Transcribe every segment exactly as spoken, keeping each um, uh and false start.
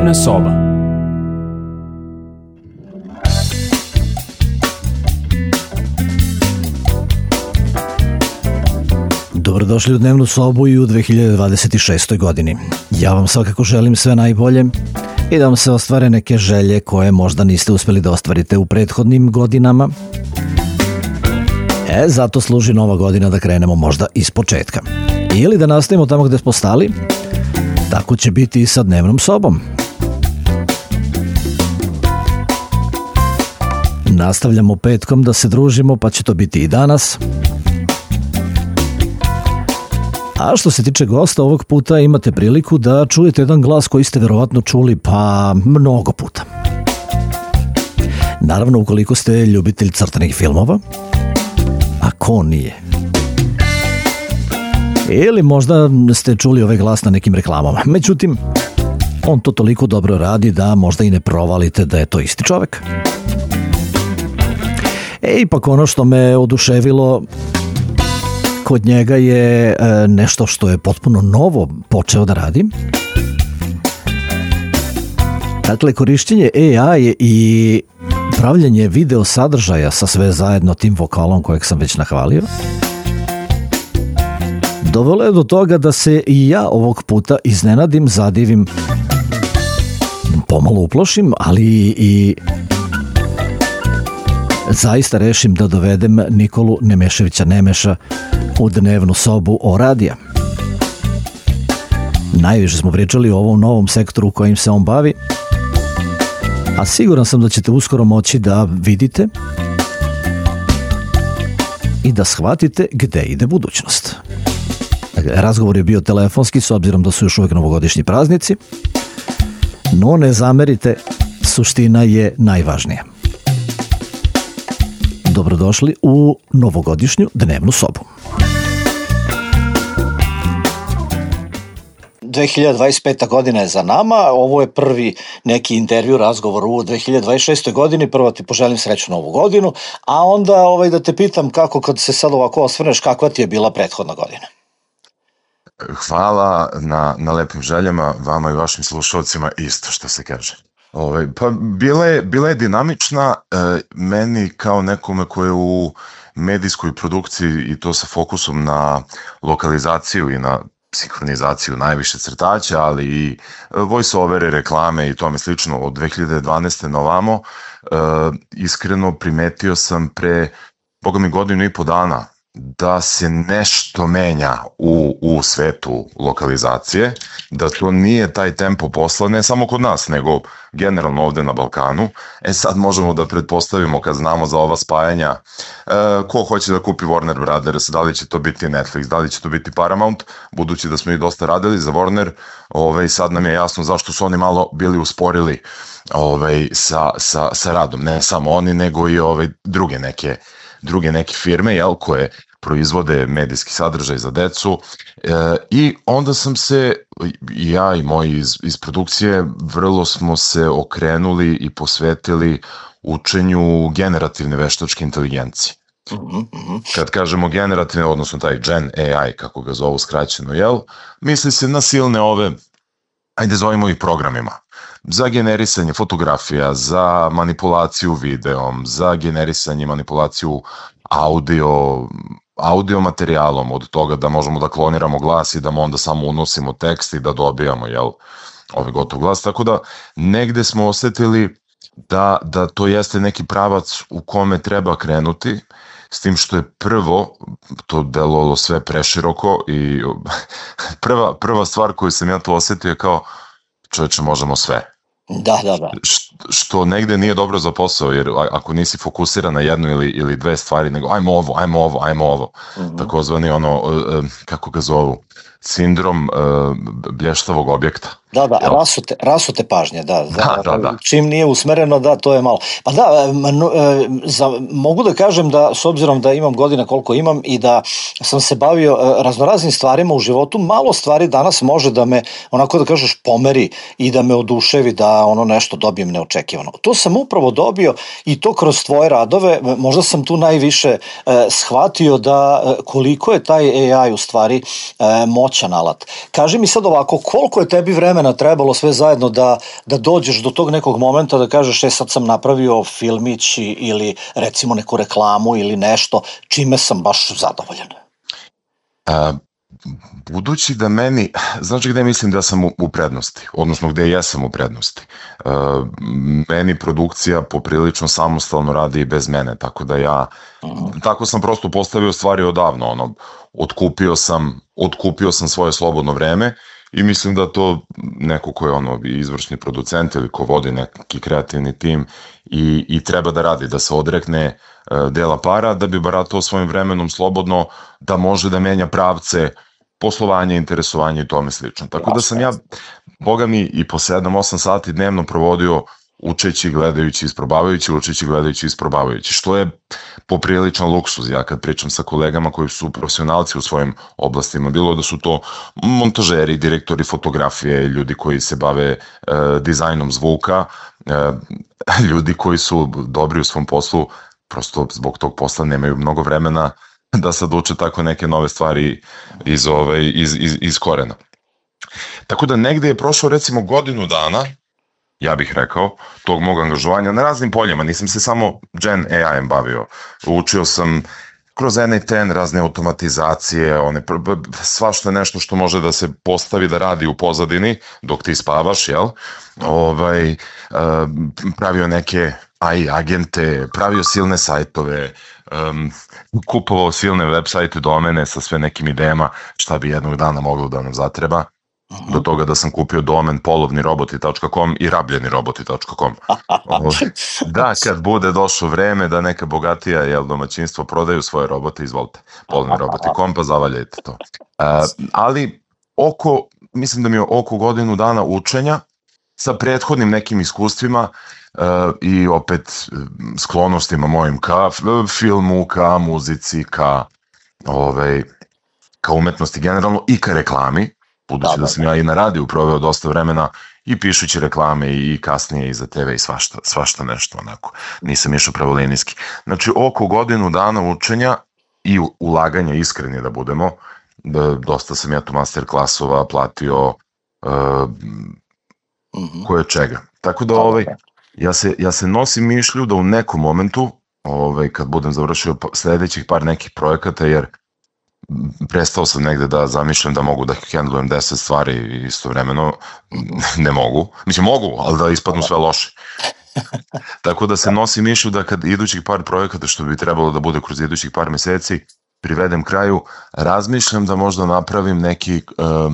Dnevna soba. Dobrodošli u Dnevnu sobu i u dve hiljade dvadeset šestoj godini. Ja vam svakako želim sve najbolje i da vam se ostvare neke želje koje možda niste uspeli da ostvarite u prethodnim godinama. E, zato služi nova godina da krenemo možda iz početka. Ili da nastavimo tamo gde smo stali. Tako će biti i sa Dnevnom sobom. Nastavljamo petkom da se družimo, pa će to biti i danas. A što se tiče gosta, ovog puta imate priliku da čujete jedan glas koji ste verovatno čuli pa mnogo puta. Naravno, ukoliko ste ljubitelj crtanih filmova, a ko nije? Ili možda ste čuli ovaj glas na nekim reklamama. Međutim, on to toliko dobro radi da možda i ne provalite da je to isti čovek. E, ipak ono što me oduševilo kod njega je nešto što je potpuno novo počeo da radi. Dakle, korišćenje A I i pravljenje video sadržaja sa sve zajedno tim vokalom kojeg sam već nahvalio dovelo je do toga da se i ja ovog puta iznenadim, zadivim, pomalo uplošim, ali i zaista rešim da dovedem Nikolu Nemeševića Nemeša u Dnevnu sobu o radija. Najviše smo pričali o ovom novom sektoru kojim se on bavi, a siguran sam da ćete uskoro moći da vidite i da shvatite gde ide budućnost. Razgovor je bio telefonski s obzirom da su još uvek novogodišnji praznici, no ne zamerite, suština je najvažnija. Dobrodošli u novogodišnju Dnevnu sobu. dve hiljade dvadeset peta godina je za nama, ovo je prvi neki intervju, razgovor u dve hiljade dvadeset šestoj godini, prvo ti poželim srećnu novu godinu, a onda ovaj, da te pitam kako kad se sad ovako osvrneš, kakva ti je bila prethodna godina? Hvala na, na lepim željama, vama i vašim slušalcima isto što se kaže. Ovaj, pa bila je, bila je dinamična, e, meni kao nekome ko je u medijskoj produkciji i to sa fokusom na lokalizaciju i na sinhronizaciju najviše crtaća, ali i voice-overe, reklame i tome slično od dve hiljade dvanaeste na ovamo, e, iskreno primetio sam pre, boga mi godinu i po dana, da se nešto menja u, u svetu lokalizacije, da to nije taj tempo posla, ne samo kod nas, nego generalno ovde na Balkanu. E sad možemo da pretpostavimo kad znamo za ova spajanja, e, ko hoće da kupi Warner Brothers, da li će to biti Netflix, da li će to biti Paramount, budući da smo i dosta radili za Warner, ovaj, sad nam je jasno zašto su oni malo bili usporili ovaj, sa, sa, sa radom, ne samo oni, nego i ovaj, druge neke druge neke firme, jel, koje proizvode medijski sadržaj za decu, e, i onda sam se, ja i moji iz, iz produkcije, vrlo smo se okrenuli i posvetili učenju generativne veštačke inteligencije. Kad kažemo generativne, odnosno taj Gen A I, kako ga zovu skraćeno, jel, misli se na silne ove, ajde zovemo ih programima, za generisanje fotografija, za manipulaciju videom, za generisanje i manipulaciju audio, audio materijalom, od toga da možemo da kloniramo glas i da mu onda samo unosimo tekst i da dobijamo, jel, ovaj gotov glas. Tako da negde smo osetili da, da to jeste neki pravac u kome treba krenuti, s tim što je prvo to delovalo sve preširoko i prva, prva stvar koju sam ja to osetio je kao, čoveče, možemo sve. Da, da, da. Š, što negde nije dobro za posao, jer ako nisi fokusiran na jednu ili, ili dve stvari, nego ajmo ovo, ajmo ovo, ajmo ovo, mm-hmm. takozvani ono, kako ga zovu, sindrom uh, blještavog objekta. Da, da, rasute, rasute pažnje, da. Da, da, da. Čim nije usmereno, da, to je malo. Pa da, za, mogu da kažem da, s obzirom da imam godina koliko imam i da sam se bavio raznoraznim stvarima u životu, malo stvari danas može da me, onako da kažeš, pomeri i da me oduševi, da ono nešto dobijem neočekivano. To sam upravo dobio i to kroz tvoje radove, možda sam tu najviše eh, shvatio da koliko je taj A I u stvari eh, moćan moćan alat. Kaži mi sad ovako, koliko je tebi vremena trebalo sve zajedno da, da dođeš do tog nekog momenta da kažeš, e sad sam napravio filmić ili recimo neku reklamu ili nešto, čime sam baš zadovoljan? A, budući da meni, znači gde mislim da sam u, u prednosti, odnosno gde jesam u prednosti. A, meni produkcija poprilično samostalno radi i bez mene, tako da ja, uh-huh. tako sam prosto postavio stvari odavno, ono, otkupio sam, otkupio sam svoje slobodno vreme i mislim da to neko ko je ono izvršni producent ili ko vodi neki kreativni tim i, i treba da radi, da se odrekne uh, dela para, da bi baratao svojim vremenom slobodno, da može da menja pravce poslovanje, interesovanje i tome slično. Tako da sam ja, boga mi, i po sedam osam sati dnevno provodio učeći, gledajući, isprobavajući, učeći, gledajući, isprobavajući, što je popriličan luksuz. Ja kad pričam sa kolegama koji su profesionalci u svojim oblastima, bilo da su to montažeri, direktori fotografije, ljudi koji se bave e, dizajnom zvuka, e, ljudi koji su dobri u svom poslu, prosto zbog tog posla nemaju mnogo vremena da sad uče tako neke nove stvari iz, ove, iz, iz, iz korena. Tako da negde je prošlo recimo godinu dana, ja bih rekao, tog mog angažovanja na raznim poljima. Nisam se samo Gen A I-em bavio. Učio sam kroz N I T N razne automatizacije, one, svašta nešto što može da se postavi da radi u pozadini dok ti spavaš, jel? Ovaj, pravio neke A I agente, pravio silne sajtove, um, kupovao silne web sajte, domene sa sve nekim idejama šta bi jednog dana moglo da nam zatreba. Do toga da sam kupio domen polovniroboti tačka com i rabljeniroboti tačka com. Da, kad bude došlo vreme da neka bogatija jel, domaćinstvo prodaju svoje robote, izvolite, polovniroboti tačka com pa zavaljajte to. Uh, ali oko, mislim da mi je oko godinu dana učenja sa prethodnim nekim iskustvima uh, i opet sklonostima mojim ka filmu, ka muzici, ka, ovaj, ka umetnosti generalno i ka reklami. Budući da, da sam ja i na radiju proveo dosta vremena i pišući reklame i kasnije i za te ve i svašta, svašta nešto onako. Nisam išao pravolinijski. Znači oko godinu dana učenja i ulaganja, iskreni da budemo, da, dosta sam ja tu master klasova platio uh, mm-hmm. koje čega. Tako da ovaj, ja, se, ja se nosim mišlju da u nekom momentu, ovaj, kad budem završio sledećih par nekih projekata, jer prestao sam negde da zamišljam da mogu da handlujem deset stvari istovremeno, ne mogu. Mislim, mogu, ali da ispadnu sve loše. Tako da se nosim mišlju da kad idućih par projekata, što bi trebalo da bude kroz idućih par meseci, privedem kraju, razmišljam da možda napravim neki uh,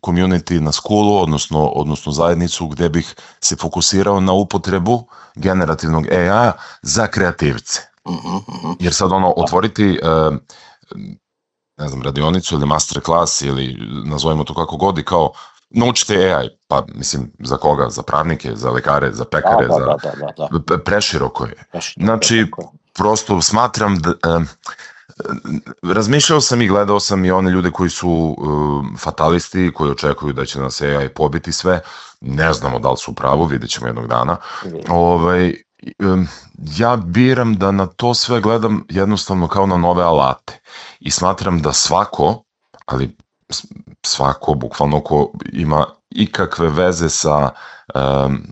community na skulu, odnosno, odnosno zajednicu gde bih se fokusirao na upotrebu generativnog A I-a za kreativce. Jer sad ono, otvoriti uh, ne znam, radionicu ili master klas ili nazovimo to kako god i kao naučite A I, pa mislim za koga, za pravnike, za lekare, za pekare, da, da, za da, da, da. preširoko je. Znači, prosto smatram da eh, razmišljao sam i gledao sam i one ljude koji su eh, fatalisti, koji očekuju da će nas A I pobiti sve, ne znamo da li su u pravu, vidjet ćemo jednog dana. Ovaj, ja biram da na to sve gledam jednostavno kao na nove alate i smatram da svako, ali svako bukvalno ko ima ikakve veze sa, um,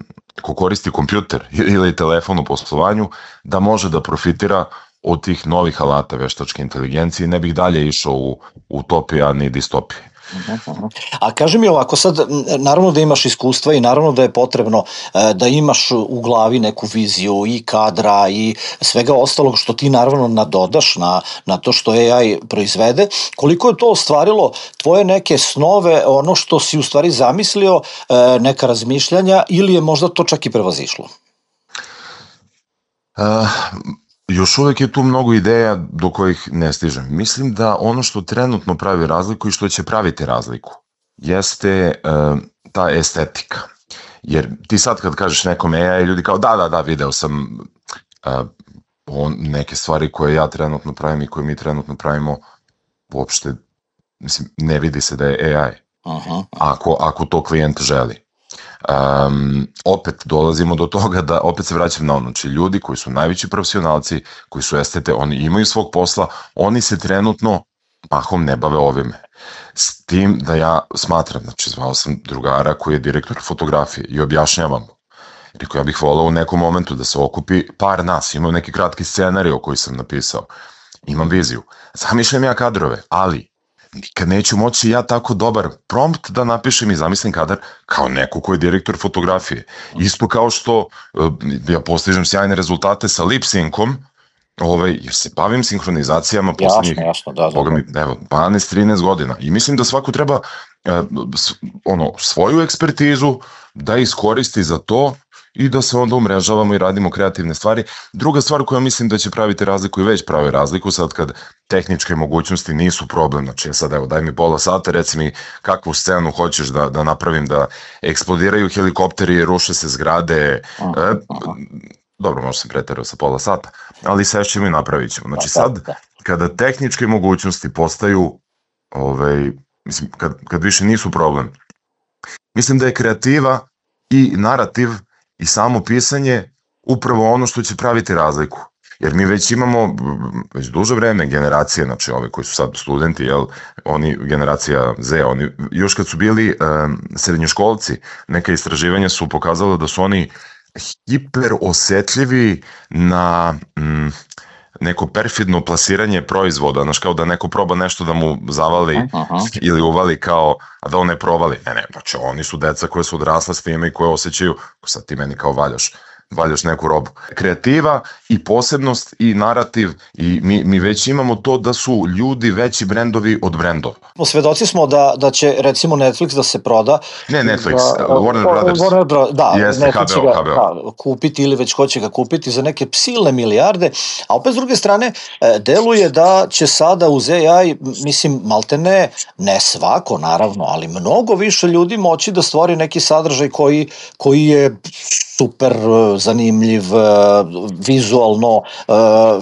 ko koristi kompjuter ili telefon u poslovanju, da može da profitira od tih novih alata veštačke inteligencije i ne bih dalje išao u utopija ni distopije. A kaži mi ovako, sad naravno da imaš iskustva i naravno da je potrebno da imaš u glavi neku viziju i kadra i svega ostalog što ti naravno nadodaš na, na to što A I proizvede. Koliko je to ostvarilo tvoje neke snove, ono što si u stvari zamislio, neka razmišljanja ili je možda to čak i prevazišlo? Uh... Još uvek je tu mnogo ideja do kojih ne stižem. Mislim da ono što trenutno pravi razliku i što će praviti razliku jeste uh, ta estetika. Jer ti sad kad kažeš nekome A I, ljudi kao da, da, da, video sam uh, on, neke stvari koje ja trenutno pravim i koje mi trenutno pravimo, uopšte mislim, ne vidi se da je A I. Uh-huh. Ako, ako to klijent želi. Um, opet dolazimo do toga da opet se vraćam na ono, znači ljudi koji su najveći profesionalci, koji su estete, oni imaju svog posla, oni se trenutno mahom ne bave ovime. S tim da ja smatram, znači zvao sam drugara koji je direktor fotografije i objašnjavam mu. Rekao, ja bih volao u nekom momentu da se okupi par nas, imam neki kratki scenarij koji sam napisao, imam viziju, zamišljam ja kadrove, ali nikad neću moći ja tako dobar prompt da napišem i zamislim kadar kao neko ko je direktor fotografije. Isto kao što ja postižem sjajne rezultate sa lip-synkom, ovaj, jer se bavim sinhronizacijama poslednjih, jasno, da, da, mi, evo, dvanaest trinaest godina i mislim da svako treba eh, ono, svoju ekspertizu da iskoristi za to i da se onda umrežavamo i radimo kreativne stvari. Druga stvar koja mislim da će praviti razliku i već pravi razliku sad kad tehničke mogućnosti nisu problem, znači sad evo daj mi pola sata, reci mi kakvu scenu hoćeš da, da napravim, da eksplodiraju helikopteri, ruše se zgrade, uh-huh, e, uh-huh. Dobro, možda sam preterao sa pola sata, ali sešćemo i napravit ćemo. Znači sad kada tehničke mogućnosti postaju, ovaj, mislim, kad, kad više nisu problem, mislim da je kreativa i narativ i samo pisanje upravo ono što će praviti razliku. Jer mi već imamo već duže vreme generacije, znači ove koji su sad studenti, jel, oni, generacija Z, oni još kad su bili um, srednjoškolci, neka istraživanja su pokazala da su oni hiper osetljivi na um, neko perfidno plasiranje proizvoda, znaš, kao da neko proba nešto da mu zavali uh-huh. ili uvali kao, a da on ne provali. Ne, ne, znači oni su deca koje su odrasla s time i koje osjećaju, sad ti meni kao valjaš, valjaš neku robu. Kreativa i posebnost i narativ i mi, mi već imamo to da su ljudi veći brendovi od brendova. Svedoci smo da, da će recimo Netflix da se proda. Ne Netflix, da, Warner Brothers. Warner Bro, da, jeste, Netflix će H B O, ga H B O. Da, kupiti ili već hoće ga kupiti za neke silne milijarde, a opet s druge strane deluje da će sada uz A I, mislim, maltene, ne svako naravno, ali mnogo više ljudi moći da stvori neki sadržaj koji, koji je super zanimljiv, vizualno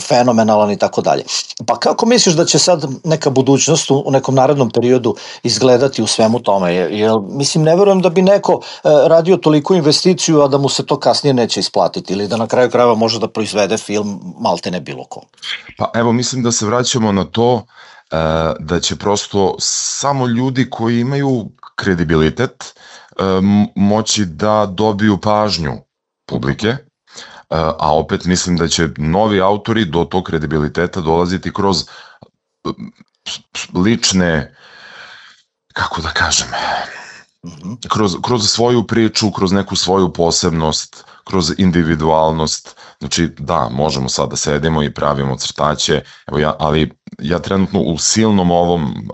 fenomenalan i tako dalje. Pa kako misliš da će sad neka budućnost u nekom narednom periodu izgledati u svemu tome? Jer, mislim, ne verujem da bi neko radio toliku investiciju, a da mu se to kasnije neće isplatiti ili da na kraju krajeva može da proizvede film maltene bilo ko. Pa evo, mislim da se vraćamo na to da će prosto samo ljudi koji imaju kredibilitet moći da dobiju pažnju publike, a opet mislim da će novi autori do tog kredibiliteta dolaziti kroz lične, kako da kažem, kroz, kroz svoju priču, kroz neku svoju posebnost, kroz individualnost. Znači da, možemo sad da sedimo i pravimo crtaće, evo ja, ali ja trenutno u silnom ovom,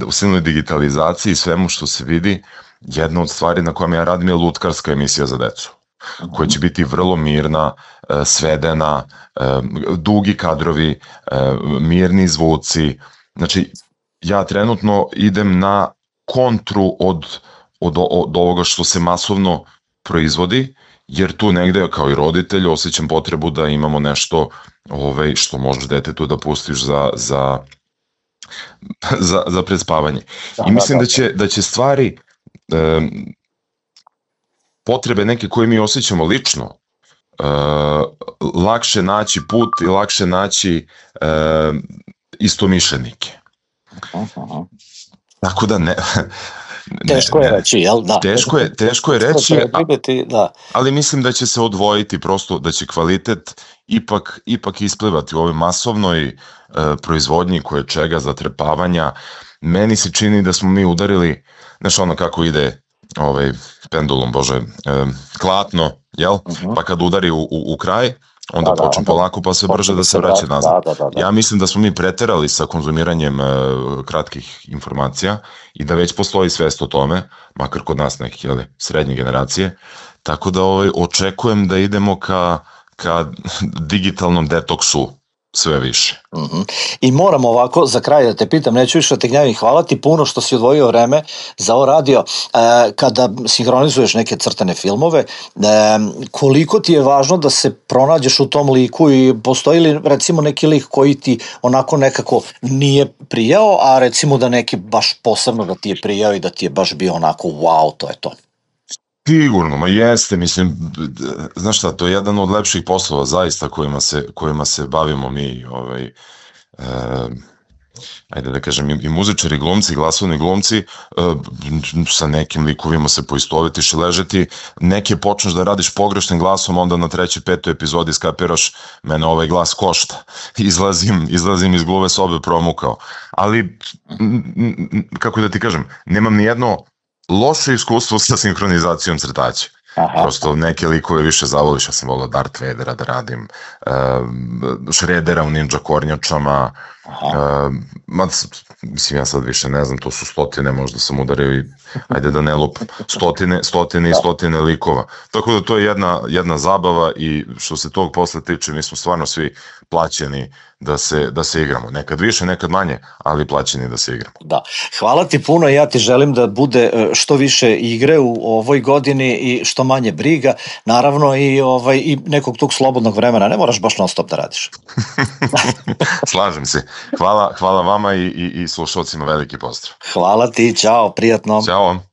u silnoj digitalizaciji, svemu što se vidi, jedna od stvari na kojom ja radim je lutkarska emisija za decu, koja će biti vrlo mirna, svedena, dugi kadrovi, mirni zvuci. Znači, ja trenutno idem na kontru od, od, od ovoga što se masovno proizvodi, jer tu negde kao i roditelj osjećam potrebu da imamo nešto ovaj, što možeš detetu da pustiš za, za, za, za predspavanje. I mislim da će, da će stvari, e, potrebe neke koje mi osjećamo lično, e, lakše naći put i lakše naći e, istomišljenike. Tako da ne... Teško je reći, jel? Da. Teško je, teško je reći, da. Ali mislim da će se odvojiti prosto, da će kvalitet ipak, ipak isplivati u ovoj masovnoj e, proizvodnji koje čega zatrepavanja. Meni se čini da smo mi udarili, znaš ono kako ide ovaj pendulum, bože, e, klatno, jel? Uh-huh. Pa kad udari u, u, u kraj, onda da, počne da, polako pa sve brže da se vraća nazad. Da, da, da, da. Ja mislim da smo mi preterali sa konzumiranjem e, kratkih informacija i da već postoji svest o tome, makar kod nas nekih jeli, srednje generacije, tako da ovaj, očekujem da idemo ka, ka digitalnom detoksu sve više. Mm-hmm. I moram ovako, za kraj da te pitam, neću više da te gnjavim, hvala ti puno što si odvojio vreme za ovo radio. E, kada sinhronizuješ neke crtane filmove, e, koliko ti je važno da se pronađeš u tom liku i postoji li recimo neki lik koji ti onako nekako nije prijao, a recimo da neki baš posebno da ti je prijao i da ti je baš bio onako wow, to je to? Sigurno, ma jeste, mislim, znaš šta, to je jedan od lepših poslova zaista kojima se, kojima se bavimo mi, ovaj, e, ajde da kažem, i muzičari, glumci, glasovni glumci, sa nekim likovima se poistovetiš i ležeti, neke počneš da radiš pogrešnim glasom, onda na trećoj, petoj epizodi skapiraš, mene ovaj glas košta, izlazim, izlazim iz gluve sobe promukao, ali, kako da ti kažem, nemam ni jedno loše iskustvo sa sinhronizacijom crtaća. Aha. Prosto neke likove više zavoliš, ja sam volao Darth Vadera da radim, uh, Shreddera u Ninja kornjačama, uh, ma, mislim ja sad više ne znam, to su stotine, možda sam udario i ajde da ne lupam, stotine, stotine i stotine likova. Tako da to je jedna, jedna zabava i što se tog posle tiče, mi smo stvarno svi plaćeni da se, da se igramo. Nekad više, nekad manje, ali plaćeni da se igramo. Da. Hvala ti puno, ja ti želim da bude što više igre u ovoj godini i što manje briga, naravno i, ovaj, i nekog tog slobodnog vremena, ne moraš baš non stop da radiš. Slažem se. Hvala, hvala vama i, i, i slušalcima veliki pozdrav. Hvala ti, ćao, prijatno. Ćao.